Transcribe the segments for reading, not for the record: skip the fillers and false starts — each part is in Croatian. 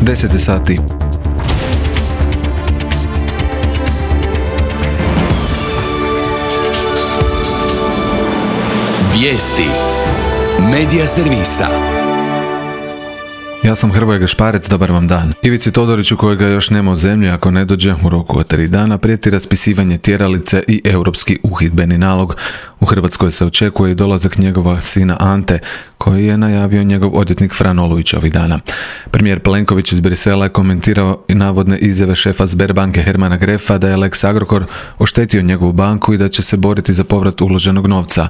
10 je sati. Vijesti Medija servisa. Ja sam Hrvoje Gašparec, dobar vam dan. Ivici Todoriću, kojega još nema u zemlji ako ne dođe u roku od 3 dana, prijeti raspisivanje tjeralice i europski uhidbeni nalog. U Hrvatskoj se očekuje i dolazak njegova sina Ante, koji je najavio njegov odvjetnik Fran Olujić ovih dana. Premijer Plenković iz Brisela je komentirao i navodne izjave šefa Sberbanke Hermana Grefa da je Lex Agrokor oštetio njegovu banku i da će se boriti za povrat uloženog novca.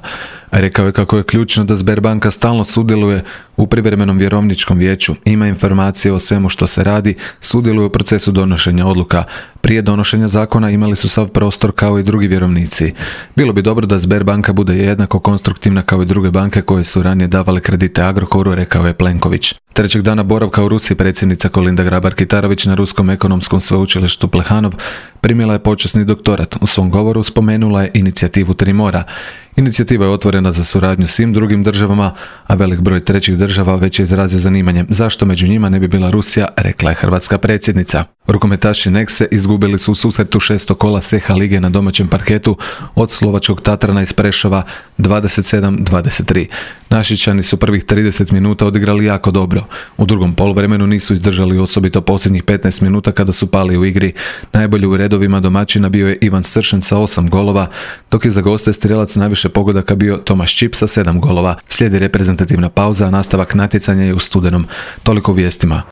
Rekao je kako je ključno da Sberbanka stalno sudjeluje u privremenom vjerovničkom vijeću, ima informacije o svemu što se radi, sudjeluje u procesu donošenja odluka. Prije donošenja zakona imali su sav prostor kao i drugi vjerovnici. Bilo bi dobro da Sberbanka bude jednako konstruktivna kao i druge banke koje su ranije davale kredite Agrokoru, rekao je Plenković. Trećeg dana boravka u Rusiji predsjednica Kolinda Grabar-Kitarović na Ruskom ekonomskom sveučilištu Plehanov primila je počasni doktorat. U svom govoru spomenula je inicijativu Tri mora. Inicijativa je otvorena za suradnju svim drugim državama, a velik broj trećih država već je izrazio zanimanje. Zašto među njima ne bi bila Rusija, rekla je hrvatska predsjednica. Rukometaši Nexe izgubili su u susretu 6. kola SEHA lige na domaćem parketu od slovačkog Tatrana iz Prešova 27-23. Našičani su prvih 30 minuta odigrali jako dobro. U drugom poluvremenu nisu izdržali osobito posljednjih 15 minuta kada su pali u igri. Najbolji u redovima domaćina bio je Ivan Sršen sa 8 golova, dok je za goste strijelac najviše pogodaka bio Tomaš Čip sa 7 golova. Slijedi reprezentativna pauza, a nastavak natjecanja je u studenom. Toliko u vijestima.